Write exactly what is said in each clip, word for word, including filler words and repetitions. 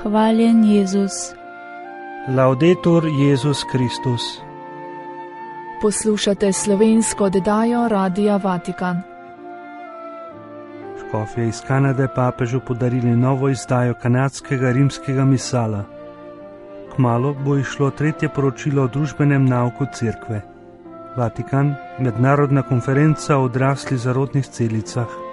Hvaljen Jezus. Laudetur Jezus Kristus. Poslušate slovensko oddajo Radia Vatikan. Škofje iz Kanade papežu podarili novo izdajo kanadskega rimskega misala. Kmalu bo išlo tretje poročilo o družbenem nauku Cerkve. Vatikan, mednarodna konferenca o odraslih zarodnih celicah.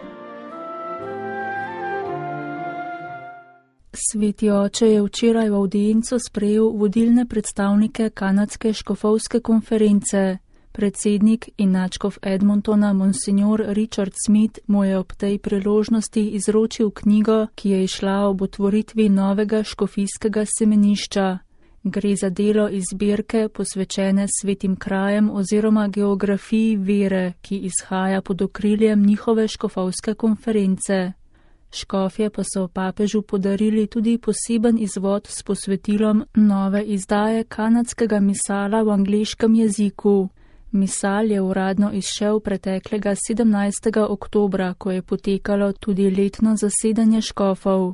Sveti oče je včeraj v avdienco sprejel vodilne predstavnike kanadske škofovske konference. Predsednik in nadškof Edmontona monsignor Richard Smith mu je ob tej priložnosti izročil knjigo, ki je izšla ob otvoritvi novega škofijskega semenišča. Gre za delo iz zbirke posvečene svetim krajem oziroma geografiji vere, ki izhaja pod okriljem njihove škofovske konference. Škofje pa so papežu podarili tudi poseben izvod s posvetilom nove izdaje kanadskega misala v angleškem jeziku. Misal je uradno izšel preteklega sedemnajstega oktobra, ko je potekalo tudi letno zasedanje škofov.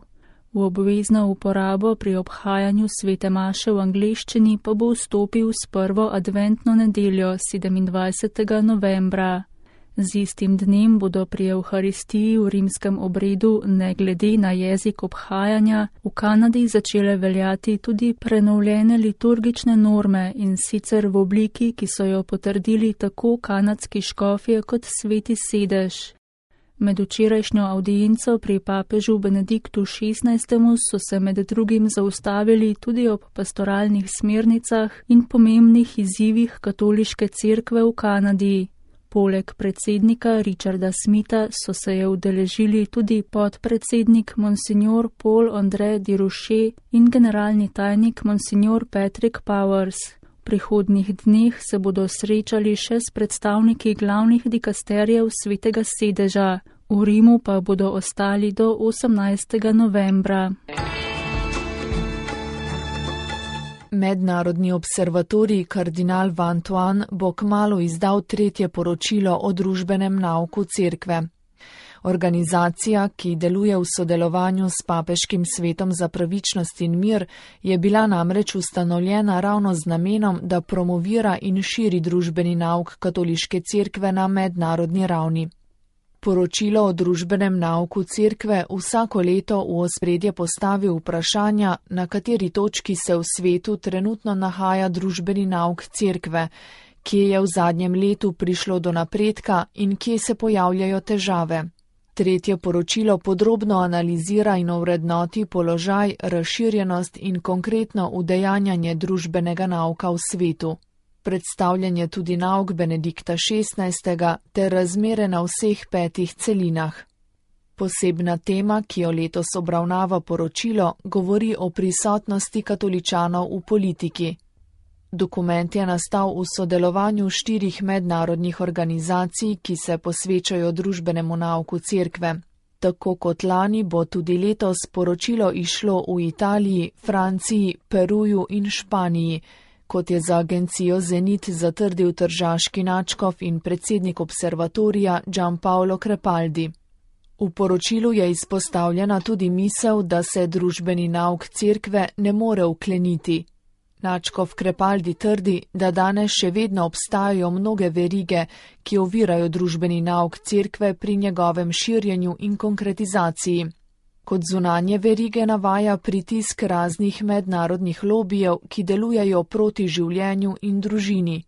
V obvezno uporabo pri obhajanju svete maše v angleščini pa bo vstopil s prvo adventno nedeljo sedemindvajsetega novembra. Z istim dnem bodo pri Evharistiji v rimskem obredu, ne glede na jezik obhajanja, v Kanadi začele veljati tudi prenovljene liturgične norme in sicer v obliki, ki so jo potrdili tako kanadski škofje kot sveti sedež. Med včerajšnjo avdienco pri papežu Benediktu šestnajstemu so se med drugim zaustavili tudi ob pastoralnih smernicah in pomembnih izzivih katoliške cerkve v Kanadi. Poleg predsednika Richarda Smitha so se je udeležili tudi podpredsednik monsignor Paul-André Durocher in generalni tajnik monsignor Patrick Powers. V prihodnjih dneh se bodo srečali še s predstavniki glavnih dikasterjev svetega sedeža, v Rimu pa bodo ostali do osemnajstega novembra. Mednarodni observatorij kardinal Vantuan bo kmalu izdal tretje poročilo o družbenem nauku Cerkve. Organizacija, ki deluje v sodelovanju s Papeškim svetom za pravičnost in mir, je bila namreč ustanovljena ravno z namenom, da promovira in širi družbeni nauk katoliške cerkve na mednarodni ravni. Poročilo o družbenem nauku Cerkve vsako leto v ospredje postavi vprašanja, na kateri točki se v svetu trenutno nahaja družbeni nauk Cerkve, kje je v zadnjem letu prišlo do napredka in kje se pojavljajo težave. Tretje poročilo podrobno analizira in ovrednoti položaj, razširjenost in konkretno udejanjanje družbenega nauka v svetu. Predstavljanje tudi nauk Benedikta šestnajstega ter razmere na vseh petih celinah. Posebna tema, ki jo letos obravnava poročilo, govori o prisotnosti katoličanov v politiki. Dokument je nastal v sodelovanju štirih mednarodnih organizacij, ki se posvečajo družbenemu nauku Cerkve. Tako kot lani bo tudi letos poročilo išlo v Italiji, Franciji, Peruju in Španiji, kot je za agencijo Zenit zatrdil tržaški nadškof in predsednik observatorija Gianpaolo Crepaldi. V poročilu je izpostavljena tudi misel, da se družbeni nauk Cerkve ne more ukleniti. Nadškof Crepaldi trdi, da danes še vedno obstajajo mnoge verige, ki ovirajo družbeni nauk Cerkve pri njegovem širjenju in konkretizaciji. Kot zunanje verige navaja pritisk raznih mednarodnih lobijev, ki delujejo proti življenju in družini.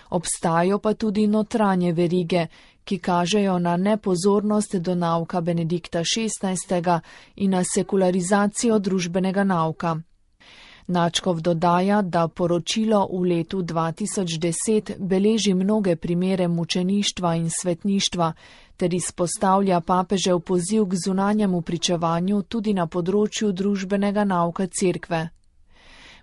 Obstajajo pa tudi notranje verige, ki kažejo na nepozornost do nauka Benedikta šestnajstega in na sekularizacijo družbenega nauka. Nadškof dodaja, da poročilo v letu dva tisoč deset beleži mnoge primere mučeništva in svetništva, ter izpostavlja papežev poziv k zunanjemu pričevanju tudi na področju družbenega nauka Cerkve.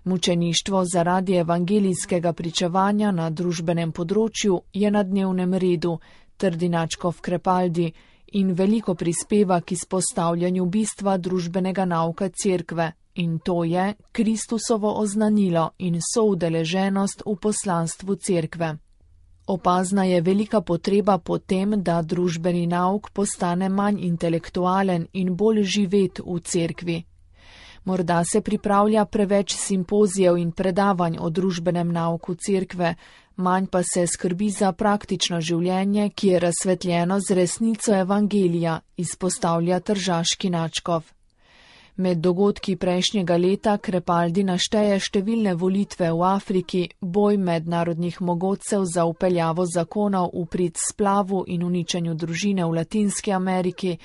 Mučeništvo zaradi evangelijskega pričevanja na družbenem področju je na dnevnem redu, trdi nadškof Crepaldi, in veliko prispeva k izpostavljanju bistva družbenega nauka Cerkve, in to je Kristusovo oznanilo in soudeleženost v poslanstvu Cerkve. Opazna je velika potreba po tem, da družbeni nauk postane manj intelektualen in bolj živet v Cerkvi. Morda se pripravlja preveč simpozijev in predavanj o družbenem nauku cerkve, manj pa se skrbi za praktično življenje, ki je razsvetljeno z resnico evangelija, izpostavlja tržaški nadškof. Med dogodki prejšnjega leta Crepaldi našteje številne volitve v Afriki, boj mednarodnih mogotcev za vpeljavo zakonov v prid splavu in uničenju družine v Latinski Ameriki,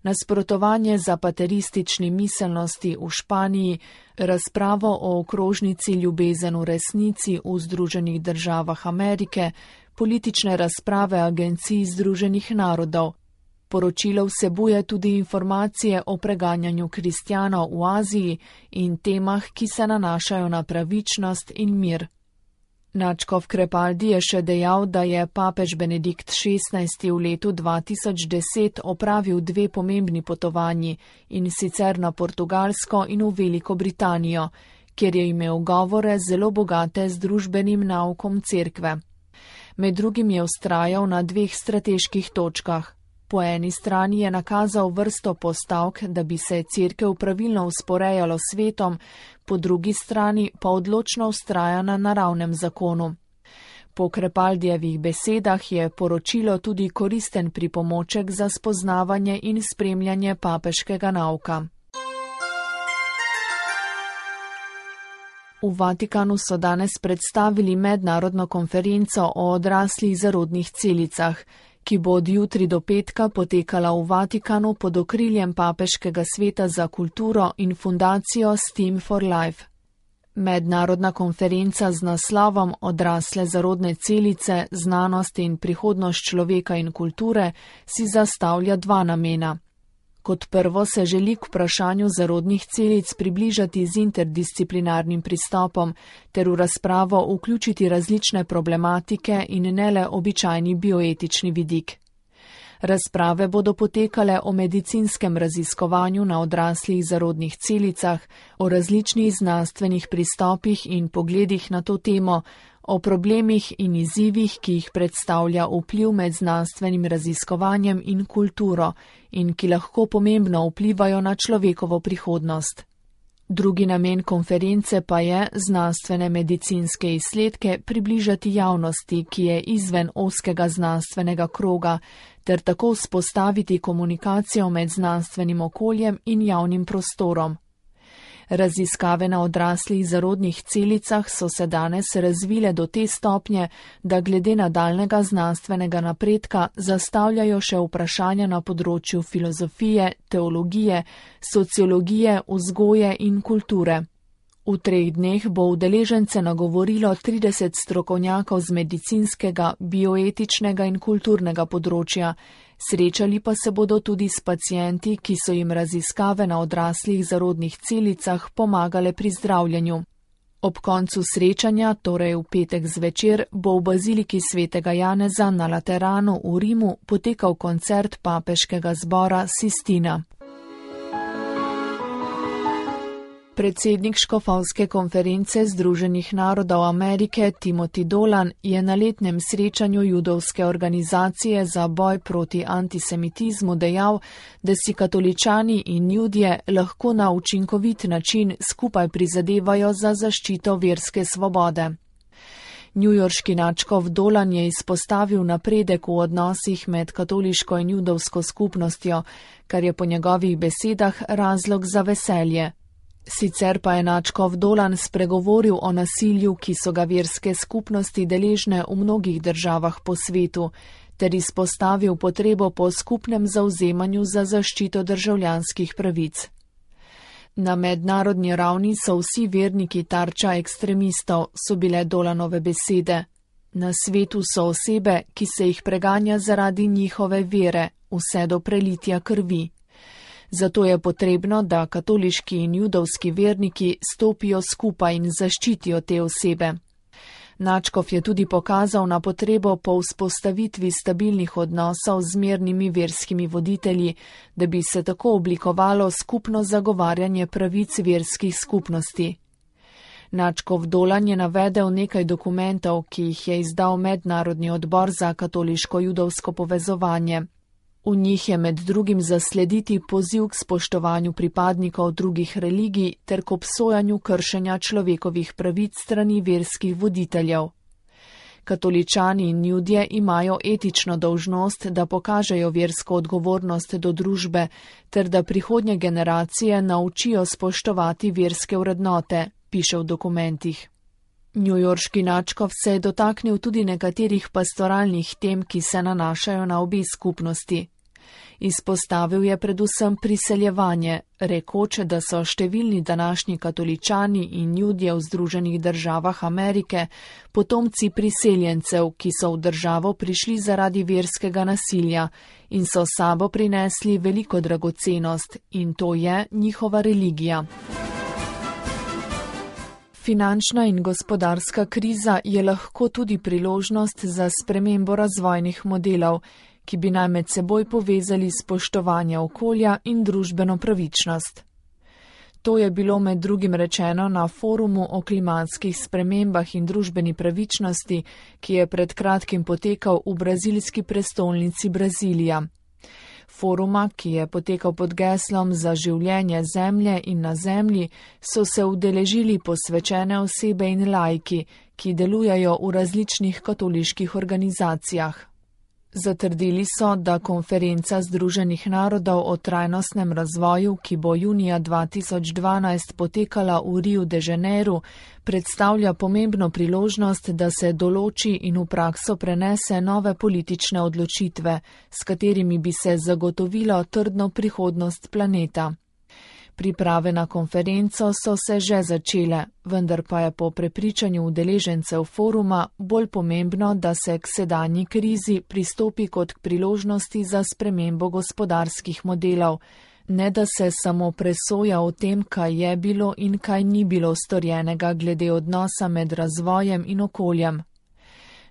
nasprotovanje zapateristični miselnosti v Španiji, razpravo o okrožnici Ljubezen v resnici v Združenih državah Amerike, politične razprave agencij Združenih narodov. Poročilo vsebuje tudi informacije o preganjanju kristjanov v Aziji in temah, ki se nanašajo na pravičnost in mir. Nadškof Crepaldi je še dejal, da je papež Benedikt šestnajsti v letu dva tisoč deset opravil dve pomembni potovanji, in sicer na Portugalsko in v Veliko Britanijo, kjer je imel govore zelo bogate z družbenim naukom cerkve. Med drugim je vztrajal na dveh strateških točkah. Po eni strani je nakazal vrsto postavk, da bi se cerkev pravilno usporejalo s svetom, po drugi strani pa odločno vztraja na naravnem zakonu. Po Crepaldijevih besedah je poročilo tudi koristen pripomoček za spoznavanje in spremljanje papeškega nauka. V Vatikanu so danes predstavili mednarodno konferenco o odraslih zarodnih celicah, ki bo od jutri do petka potekala v Vatikanu pod okriljem Papeškega sveta za kulturo in fundacijo Steam for Life. Mednarodna konferenca z naslovom Odrasle zarodne celice, znanost in prihodnost človeka in kulture si zastavlja dva namena. Kot prvo se želi k vprašanju zarodnih celic približati z interdisciplinarnim pristopom ter v razpravo vključiti različne problematike in ne le običajni bioetični vidik. Razprave bodo potekale o medicinskem raziskovanju na odraslih zarodnih celicah, o različnih znanstvenih pristopih in pogledih na to temo, o problemih in izzivih, ki jih predstavlja vpliv med znanstvenim raziskovanjem in kulturo in ki lahko pomembno vplivajo na človekovo prihodnost. Drugi namen konference pa je znanstvene medicinske izsledke približati javnosti, ki je izven ozkega znanstvenega kroga, ter tako vzpostaviti komunikacijo med znanstvenim okoljem in javnim prostorom. Raziskave na odraslih zarodnih celicah so se danes razvile do te stopnje, da glede nadaljnega znanstvenega napredka zastavljajo še vprašanja na področju filozofije, teologije, sociologije, vzgoje in kulture. V treh dneh bo udeležence nagovorilo trideset strokovnjakov z medicinskega, bioetičnega in kulturnega področja, srečali pa se bodo tudi s pacienti, ki so jim raziskave na odraslih zarodnih celicah pomagale pri zdravljenju. Ob koncu srečanja, torej v petek zvečer, bo v baziliki svetega Janeza na Lateranu v Rimu potekal koncert papeškega zbora Sistina. Predsednik škofovske konference Združenih narodov Amerike Timothy Dolan je na letnem srečanju judovske organizacije za boj proti antisemitizmu dejal, da si katoličani in judje lahko na učinkovit način skupaj prizadevajo za zaščito verske svobode. Newyorški nadškof Dolan je izpostavil napredek v odnosih med katoliško in judovsko skupnostjo, kar je po njegovih besedah razlog za veselje. Sicer pa je nadškof Dolan spregovoril o nasilju, ki so ga verske skupnosti deležne v mnogih državah po svetu, ter izpostavil potrebo po skupnem zavzemanju za zaščito državljanskih pravic. Na mednarodni ravni so vsi verniki tarča ekstremistov, so bile Dolanove besede. Na svetu so osebe, ki se jih preganja zaradi njihove vere, vse do prelitja krvi. Zato je potrebno, da katoliški in judovski verniki stopijo skupaj in zaščitijo te osebe. Nadškof je tudi pokazal na potrebo po vzpostavitvi stabilnih odnosov z mernimi verskimi voditelji, da bi se tako oblikovalo skupno zagovarjanje pravic verskih skupnosti. Nadškof Dolan je navedel nekaj dokumentov, ki jih je izdal Mednarodni odbor za katoliško-judovsko povezovanje. V njih je med drugim zaslediti poziv k spoštovanju pripadnikov drugih religij ter k obsojanju kršenja človekovih pravic strani verskih voditeljev. Katoličani in Judje imajo etično dolžnost, da pokažejo versko odgovornost do družbe ter da prihodnje generacije naučijo spoštovati verske vrednote, piše v dokumentih. Newyorški nadškof se je dotaknil tudi nekaterih pastoralnih tem, ki se nanašajo na obe skupnosti. Izpostavil je predvsem priseljevanje, rekoč, da so številni današnji katoličani in Judje v Združenih državah Amerike potomci priseljencev, ki so v državo prišli zaradi verskega nasilja in so s sabo prinesli veliko dragocenost, in to je njihova religija. Finančna in gospodarska kriza je lahko tudi priložnost za spremembo razvojnih modelov, ki bi naj med seboj povezali spoštovanje okolja in družbeno pravičnost. To je bilo med drugim rečeno na forumu o klimatskih spremembah in družbeni pravičnosti, ki je pred kratkim potekal v brazilski prestolnici Brazilija. Foruma, ki je potekal pod geslom za življenje zemlje in na zemlji, so se udeležili posvečene osebe in laiki, ki delujejo v različnih katoliških organizacijah. Zatrdili so, da konferenca Združenih narodov o trajnostnem razvoju, ki bo junija dva tisoč dvanajst potekala v Riu de Janeiro, predstavlja pomembno priložnost, da se določi in v prakso prenese nove politične odločitve, s katerimi bi se zagotovilo trdno prihodnost planeta. Priprave na konferenco so se že začele, vendar pa je po prepričanju udeležencev foruma bolj pomembno, da se k sedanji krizi pristopi kot k priložnosti za spremembo gospodarskih modelov, ne da se samo presoja o tem, kaj je bilo in kaj ni bilo storjenega glede odnosa med razvojem in okoljem.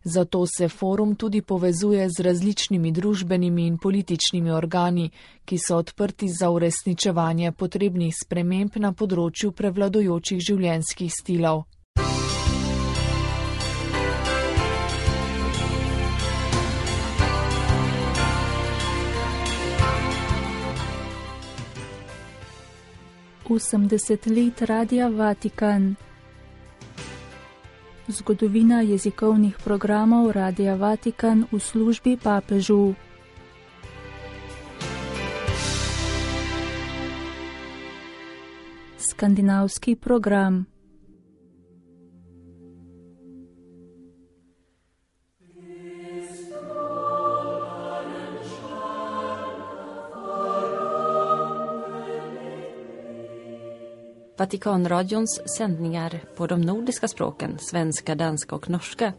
Zato se forum tudi povezuje z različnimi družbenimi in političnimi organi, ki so odprti za uresničevanje potrebnih sprememb na področju prevladujočih življenjskih stilov. osemdeset let Radia Vatikan. Zgodovina jezikovnih programov Radia Vatikan v službi papežu. Skandinavski program. Vatikanradions sändningar på de nordiska språken, svenska, danska och norska,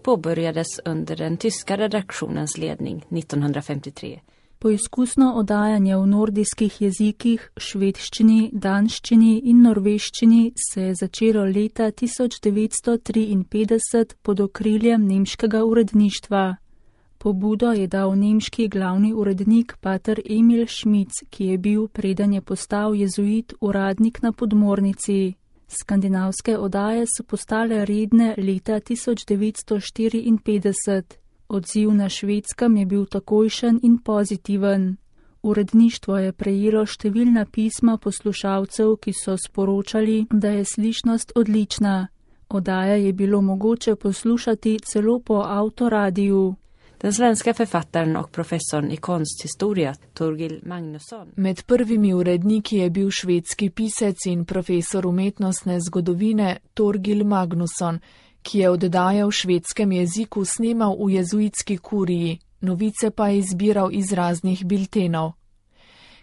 påbörjades under den tyska redaktionens ledning nittonhundrafemtiotre. Poizkusno oddajanje v nordijskih jezikih, švedščini, danščini in norveščini se je začelo leta tisoč devetsto triinpetdeset pod okriljem nemškega uredništva. Pobudo je dal nemški glavni urednik pater Emil Schmitz, ki je bil, preden je postal jezuit, uradnik na podmornici. Skandinavske oddaje so postale redne leta tisoč devetsto štiriinpetdeset. Odziv na Švedskem je bil takojšen in pozitiven. Uredništvo je prejelo številna pisma poslušalcev, ki so sporočali, da je slišnost odlična. Oddaje je bilo mogoče poslušati celo po avtoradiju. Den svenska författaren och professorn i konsthistoria, Torgil Magnusson. Med prvimi uredniki je bil švedski pisec in profesor umetnostne zgodovine Torgil Magnusson, ki je oddaje v švedskem jeziku snemal v jezuitski kuriji, novice pa je izbiral iz raznih biltenov.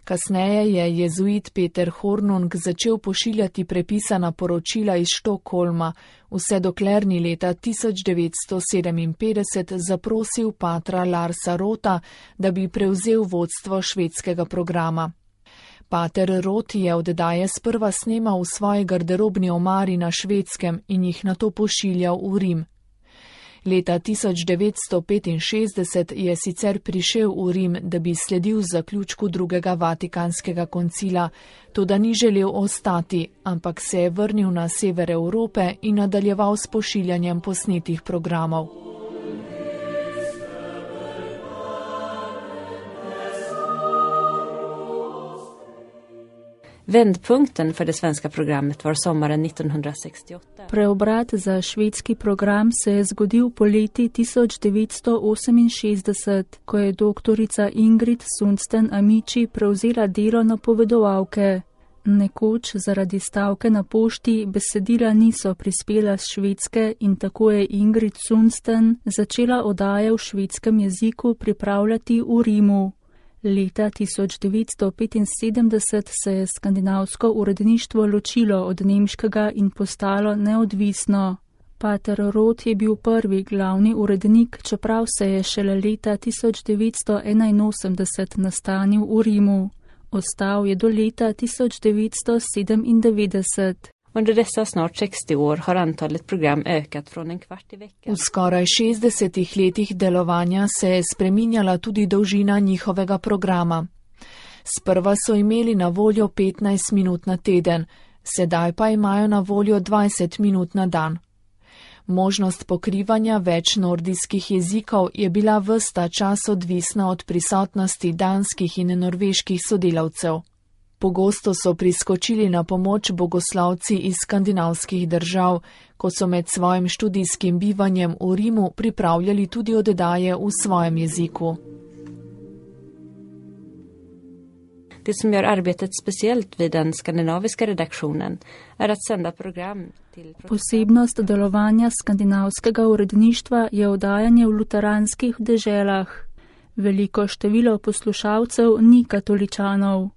Kasneje je jezuit Peter Hornung začel pošiljati prepisana poročila iz Štokholma, vse dokler ni leta tisoč devetsto sedeminpetdeset zaprosil patra Larsa Rota, da bi prevzel vodstvo švedskega programa. Pater Rot je oddaje sprva snemal v svoji garderobni omari na Švedskem in jih nato pošiljal v Rim. Leta tisoč devetsto petinšestdeset je sicer prišel v Rim, da bi sledil zaključku drugega Vatikanskega koncila, toda ni želel ostati, ampak se je vrnil na sever Evrope in nadaljeval s pošiljanjem posnetih programov. Vändpunkten för det svenska programmet var sommaren nittonhundrasextioåtta. Preobrat za švedski program se je zgodil poleti tisoč devetsto oseminšestdeset, ko je doktorica Ingrid Sundsten Amici prevzela delo napovedovalke. Nekoč zaradi stavke na pošti besedila niso prispela z Švedske in tako je Ingrid Sundsten začela oddaje v švedskem jeziku pripravljati v Rimu. Leta tisoč devetsto petinsedemdeset se je skandinavsko uredništvo ločilo od nemškega in postalo neodvisno. Pater Roth je bil prvi glavni urednik, čeprav se je šele leta tisoč devetsto enainosemdeset nastanil v Rimu. Ostal je do leta tisoč devetsto sedemindevetdeset. Under dessa snart sextio år har antalet program ökat från en kvart i veckan. V skoraj šestdesetih letih delovanja se je spreminjala tudi dolžina njihovega programa. Sprva so imeli na voljo petnajst minut na teden, sedaj pa imajo na voljo dvajset minut na dan. Možnost pokrivanja več nordijskih jezikov je bila ves ta čas odvisna od prisotnosti danskih in norveških sodelavcev. Pogosto so priskočili na pomoč bogoslavci iz skandinavskih držav, ko so med svojim študijskim bivanjem v Rimu pripravljali tudi oddaje v svojem jeziku. Det som gör arbetet speciellt vid den skandinaviska redaktionen är att sända program till... Posebnost delovanja skandinavskega uredništva je oddajanje v luteranskih deželah. Veliko število poslušalcev ni katoličanov.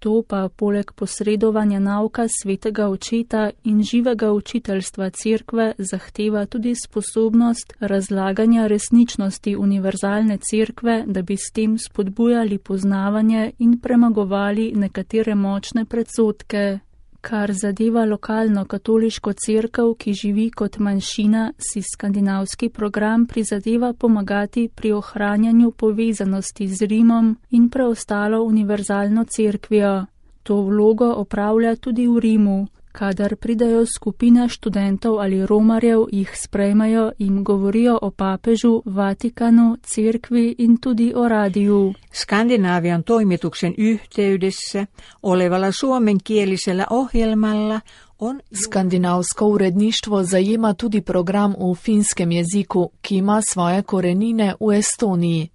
To pa poleg posredovanja nauka svetega očeta in živega učiteljstva cerkve zahteva tudi sposobnost razlaganja resničnosti univerzalne cerkve, da bi s tem spodbujali poznavanje in premagovali nekatere močne predsodke. Kar zadeva lokalno katoliško cerkev, ki živi kot manjšina, si skandinavski program prizadeva pomagati pri ohranjanju povezanosti z Rimom in preostalo univerzalno cerkvijo. To vlogo opravlja tudi v Rimu. Kadar pridajo skupine študentov ali romarjev, jih sprejmejo in govorijo o papežu, Vatikanu, cerkvi in tudi o radiju. Skandinavian toimituksen yhteydessä olevalla suomenkielisellä ohjelmalla on... Skandinavsko uredništvo zajema tudi program v finskem jeziku, ki ima svoje korenine v Estoniji.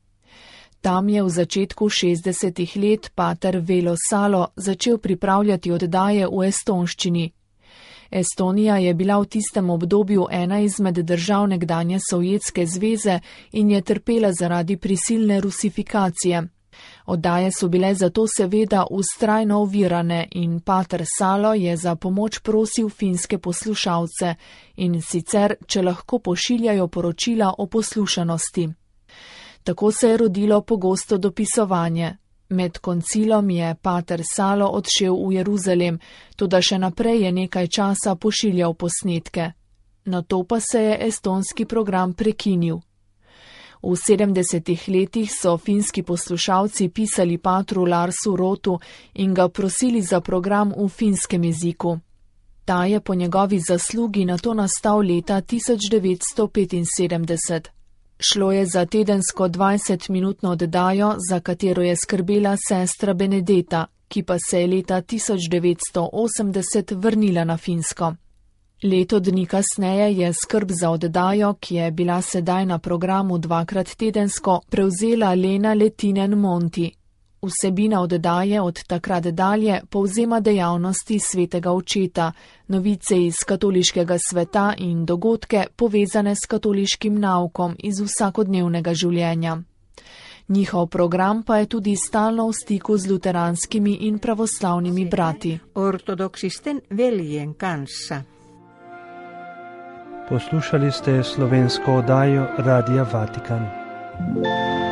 Tam je v začetku šestdesetih let pater Velo Salo začel pripravljati oddaje v estonščini. Estonija je bila v tistem obdobju ena izmed držav nekdanje Sovjetske zveze in je trpela zaradi prisilne rusifikacije. Oddaje so bile zato seveda vztrajno ovirane in pater Salo je za pomoč prosil finske poslušalce in sicer, če lahko pošiljajo poročila o poslušanosti. Tako se je rodilo pogosto dopisovanje. Med koncilom je pater Salo odšel v Jeruzalem, toda še naprej je nekaj časa pošiljal posnetke. Nato pa se je estonski program prekinil. V sedemdesetih letih so finski poslušalci pisali patru Larsu Rothu in ga prosili za program v finskem jeziku. Ta je po njegovi zaslugi nato nastal leta tisoč devetsto petinsedemdeset. Šlo je za tedensko dvajsetminutno oddajo, za katero je skrbela sestra Benedeta, ki pa se je leta tisoč devetsto osemdeset vrnila na Finsko. Leto dni kasneje je skrb za oddajo, ki je bila sedaj na programu dvakrat tedensko, prevzela Lena Letinen Monti. Vsebina oddaje od takrat dalje povzema dejavnosti svetega očeta, novice iz katoliškega sveta in dogodke povezane s katoliškim naukom iz vsakodnevnega življenja. Njihov program pa je tudi stalno v stiku z luteranskimi in pravoslavnimi brati. Ortodoksisten veljen kanssa. Poslušali ste slovensko oddajo Radia Vatikan.